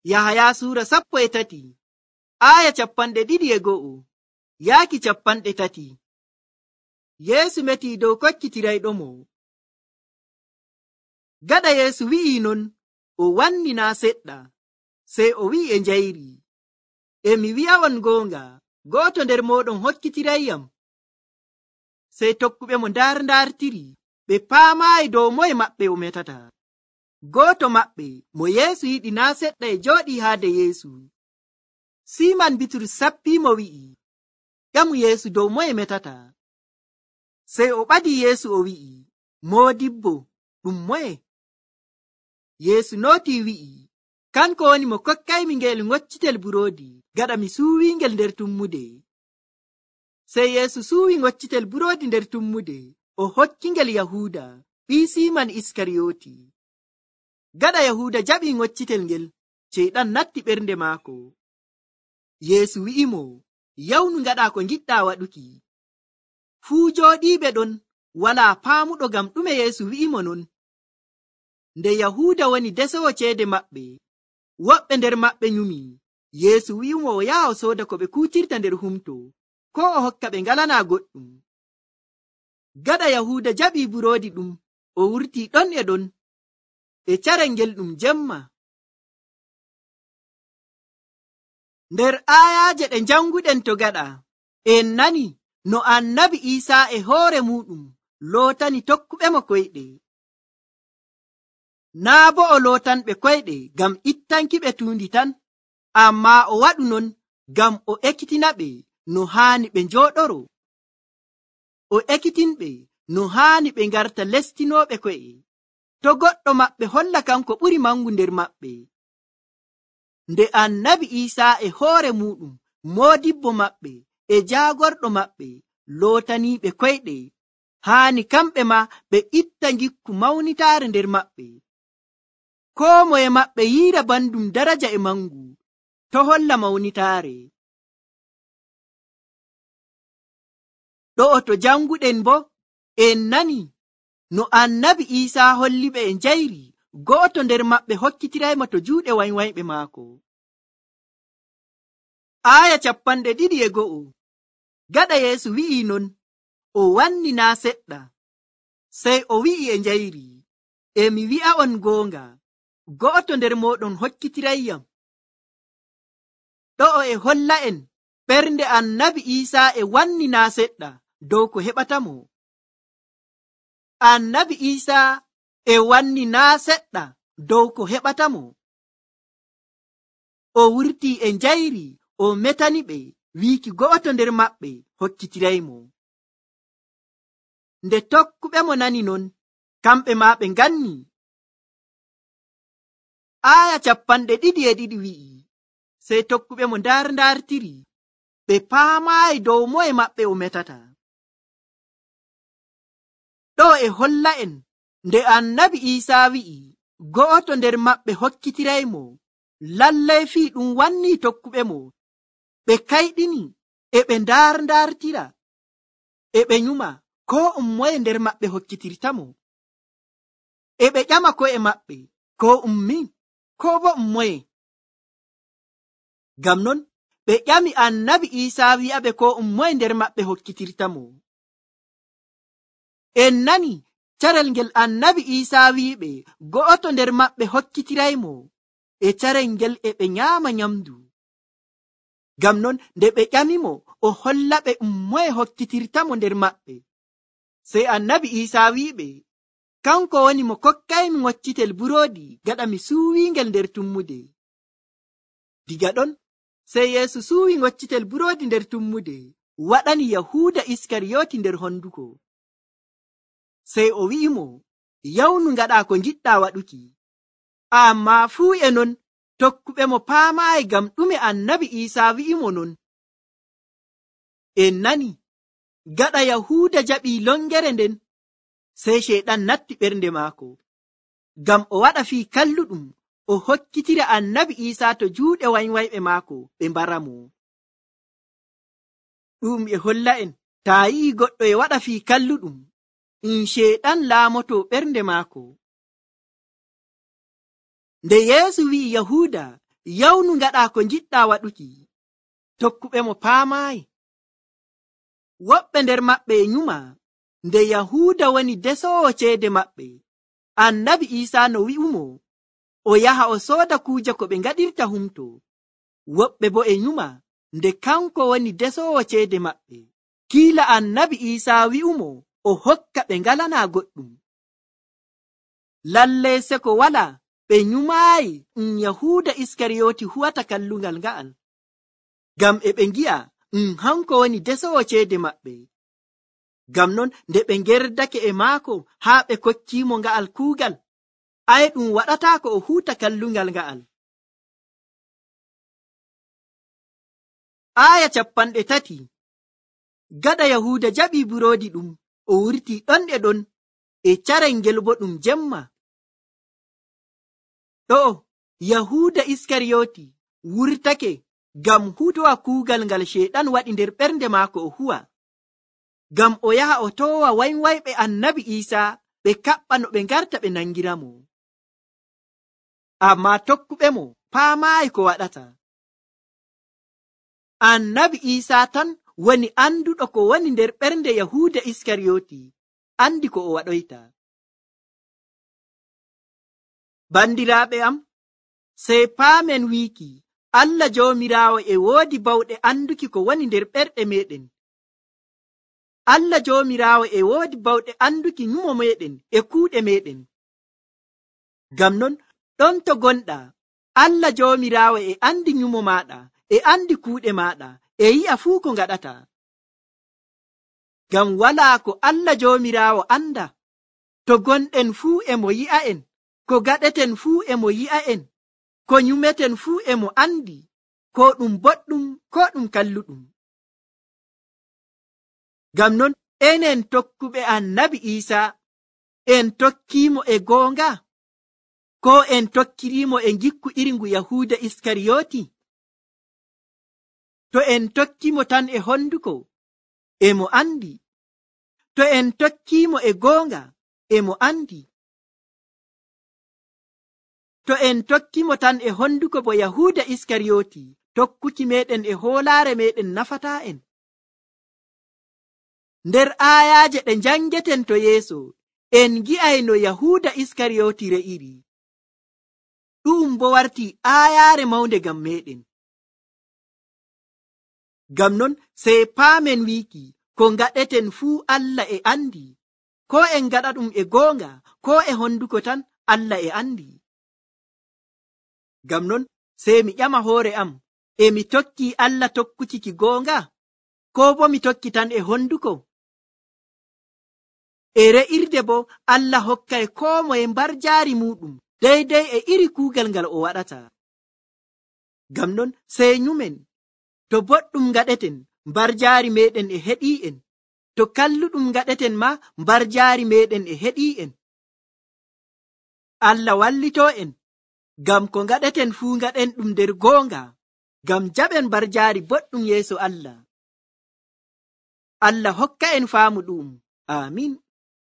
Yahaya sura 13 aya 21 yaaki 30. Yeesu meti dow kokkitirayɗomo. Gaɗa Yeesu wi'i non, o wanni naa seɗɗa, sey o wi'i e njayri, e mi wi'a'on goonga, go'oto nder mooɗon hokkitirayyam. Sey tokkuɓe mo ndarndartiri, ɓe paamaayi dow moye maɓɓe o metata. Gooto maɓɓe mo Yeesu yiɗi naa seɗɗa e jooɗii haade Yeesu. Siiman Bitrus sappiimo wi'i, ƴamu Yeesu dow moye metata. Sey o ɓadii Yeesu o wi'i, Moodibbo, ɗum moye? Yeesu nootii wi'i, kanko woni mo kokkaymi ngel ngoccitel buroodi, gaɗa mi suuwiingel nder tummude. Sey Yeesu suuwi ngoccitel buroodi nder tummude, o hokkingel Yahuuda, ɓii Siiman Iskariyooti. Gaɗa Yahuuda jaɓii ngoccitel ngel, Ceyɗan natti ɓernde maako. Yeesu wi'imo, yawnu ngaɗa ko ngiɗɗaa waɗuki. Fuu jooɗiiɓe ɗon walaa paamuɗo ngam ɗume Yeesu wi'imo non. Nde Yahuuda woni desowo ceede maɓɓe, woɓɓe nder maɓɓe nyumi. Yeesu wi'imo o yaha o sooda ko ɓe kuutirta nder humto, ko o hokka ɓe ngalanaa goɗɗum. Gaɗa Yahuuda jaɓii buroodi ɗum, o wurtii ɗon e ɗon, e carel ngel ɗum jemma. Nder aayaaje ɗe janguɗen to gaɗa, en nani no Annabi Iisaa e hoore muɗum lootani tokkuɓemo koyɗe. Naa bo o lootanɓe koyɗe ngam ittankiɓe tuundi tan, ammaa o waɗu non ngam o ekkitinaɓe no haani ɓe njooɗoro. O ekkitinɓe no haani ɓe ngarta lestinooɓe ko'e, to goɗɗo maɓɓe holla kanko ɓuri mangu nder maɓɓe. Nde Annabi Iisaa e hoore muɗum, moodibbo maɓɓe e jaagorɗo maɓɓe, lootaniiɓe koyɗe, haani kamɓe ma ɓe itta ngikku mawnitaare nder maɓɓe. Koo moye maɓɓe yiira bandum daraja e mangu, to holla mawnitaare. Ɗo'o to janguɗen bo, en nani no Annabi Iisaa holliɓe e njayri, go'oto nder maɓɓe hokkitiraymo to juuɗe waywayɓe maako. Aya 21. Gaɗa Yeesu wi'i non, o wanni naa seɗɗa, sey o wi'i e njayri, e mi wi'a'on goonga, go'oto nder mooɗon hokkitirayyam. Ɗo'o e holla'en ɓernde Annabi Iisaa e wanni naa seɗɗa dow ko heɓatamo. Annabi Iisaa e wanni naa seɗɗa dow ko heɓatamo. O wurtii e njayri, o metani ɓe wiiki go'oto nder maɓɓe hokkitiraymo. Nde tokkuɓe mo nani non, kamɓe ma ɓe nganni. Aya 22 wi'i, sey tokkuɓe mo ndarndartiri, ɓe paamaayi dow moye maɓɓe o metata. Ɗo e holla'en nde Annabi Iisaa wi'i go'oto nder maɓɓe hokkitiraymo, lallay fii ɗum wanni tokkuɓe mo ɓe kayɗini e ɓe ndarndartira, e ɓe nyuma ko moye nder maɓɓe hokkitirtamo, e ɓe ƴama ko'e maɓɓe ko min, ko bo moye. Ngam non ɓe ƴami Annabi Iisaa wi'aɓe ko moye nder maɓɓe hokkitirtamo. En nani carel ngel Annabi Iisaa wi'iɓe go'oto nder maɓɓe hokkitiraymo, e carel ngel e ɓe nyaama nyamdu. Ngam non nde ɓe ƴamimo o hollaɓe moye hokkitirtamo nder maɓɓe, sey Annabi Iisaa wi'iɓe, kanko woni mo kokkaymi ngoccitel buroodi gaɗa mi suuwiingel nder tummude. Diga ɗon sey Yeesu suuwi ngoccitel buroodi nder tummude, waɗani Yahuuda Iskariyooti nder honduko. Sey o wi'imo, yawnu ngaɗa ko ngiɗɗaa waɗuki. Ammaa fuu e non tokkuɓe mo paamaayi ngam ɗume Annabi Iisaa wi'imo non. En nani, gaɗa Yahuuda jaɓii longere nden, sey Ceyɗan natti ɓernde maako, ngam o waɗa fii kalluɗum o hokkitira Annabi Iisaa to juuɗe waywayɓe maako ɓe mbaramo. Ɗum e holla'en taa yi'i goɗɗo e waɗa fii kalluɗum, Ceyɗan laamoto ɓernde maako. Nde Yeesu wi'i Yahuuda yawnu ngaɗa ko njiɗɗa waɗuki. Tokkuɓe mo paamaayi. Woɓɓe nder maɓɓe e nyuma nde Yahuuda woni desoowo ceede maɓɓe. Annabi Iisaa no wi'umo o yaha o sooda kuuje ko ɓe ngaɗirta humto. Woɓɓe bo e nyuma nde kanko woni desoowo ceede maɓɓe. Kiila Annabi Iisaa wi'umo o hokka ɓe ngalanaa goɗɗum. Lallay se ko wala ɓe nyumaayi Yahuuda Iskariyooti huwata kallungal nga'al. Ngam e ɓe ngi'a hanko woni desoowo ceede maɓɓe. Ngam non nde ɓe ngerdake e maako haa ɓe kokkiimo nga'al kuugal, ɗum waɗataako o huuta kallungal nga'al. Aya 30. Gaɗa Yahuuda jaɓii buroodi ɗum, o wurtii ɗon e ɗon e carel ngel bo ɗum jemma. Ɗo Yahuuda Iskariyooti wurtake ngam huutowa kuugal ngal Sheeɗan waɗi nder ɓernde maako o huwa, ngam o yaha o toowa waywayɓe Annabi Iisaa ɓe kaɓɓa no ɓe ngarta ɓe nangiramo. Ammaa tokkuɓe mo paamaayi ko waɗata. Annabi Iisaa tan woni anduɗo ko woni nder ɓernde Yahuuda Iskariyooti, andi ko o waɗoyta. Bandiraaɓe am, sey paamen wiiki Allah Joomiraawo e woodi bawɗe anduki ko woni nder ɓerɗe meɗen. Allah Joomiraawo e woodi bawɗe anduki nyumo meɗen e kuuɗe meɗen. Ngam non ɗon to gonɗaa, Allah Joomiraawo e andi nyumo maɗa, e andi kuuɗe maɗa, e yi'a fuu ko ngaɗata. Ngam walaa ko Allah Joomiraawo anda. To gonɗen fuu e mo yi'a'en, ko gaɗeten fuu e mo yi'a'en, ko nyumeten fuu e mo andi, ko ɗum boɗɗum ko ɗum kalluɗum. Ngam non enen tokkuɓe Annabi Iisaa, en tokkiimo e goonga, ko en tokkiriimo e ngikku iringu Yahuuda Iskariyooti? To en tokkimo tan e honduko, e mo andi. To en tokkiimo e goonga, e mo andi. To en tokkimo tan e honduko bo Yahuuda Iskariyooti, tokkuki meɗen e hoolaare meɗen nafataa en. Nder aayaaje ɗe njangeten to yeeso, en gi'ay no Yahuuda Iskariyooti re'iri. Ɗum bo wartii aayaare mawnde ngam meɗen. Ngam non sey paamen wiiki ko ngaɗeten fuu Allah e andi, ko en ngaɗa ɗum e goonga, ko e honduko tan Allah e andi. Ngam non sey mi ƴama hoore am, e mi tokki Allah tokkuki ki goonga, ko bo mi tokki tan e honduko? E re'irde bo Allah hokkay koo moye mbar jaari muɗum deydey e iri kuugal ngal o waɗata. Ngam non sey nyumen, to boɗɗum ngaɗeten, mbar jaari meɗen e heɗii'en, to kalluɗum ngaɗeten ma, mbar jaari meɗen e heɗii'en. Allah wallitoo en, ngam ko ngaɗeten fuu ngaɗen ɗum nder goonga, ngam jaɓen mbar jaari boɗɗum yeeso Allah. Allah hokka en faamu ɗum. Amin.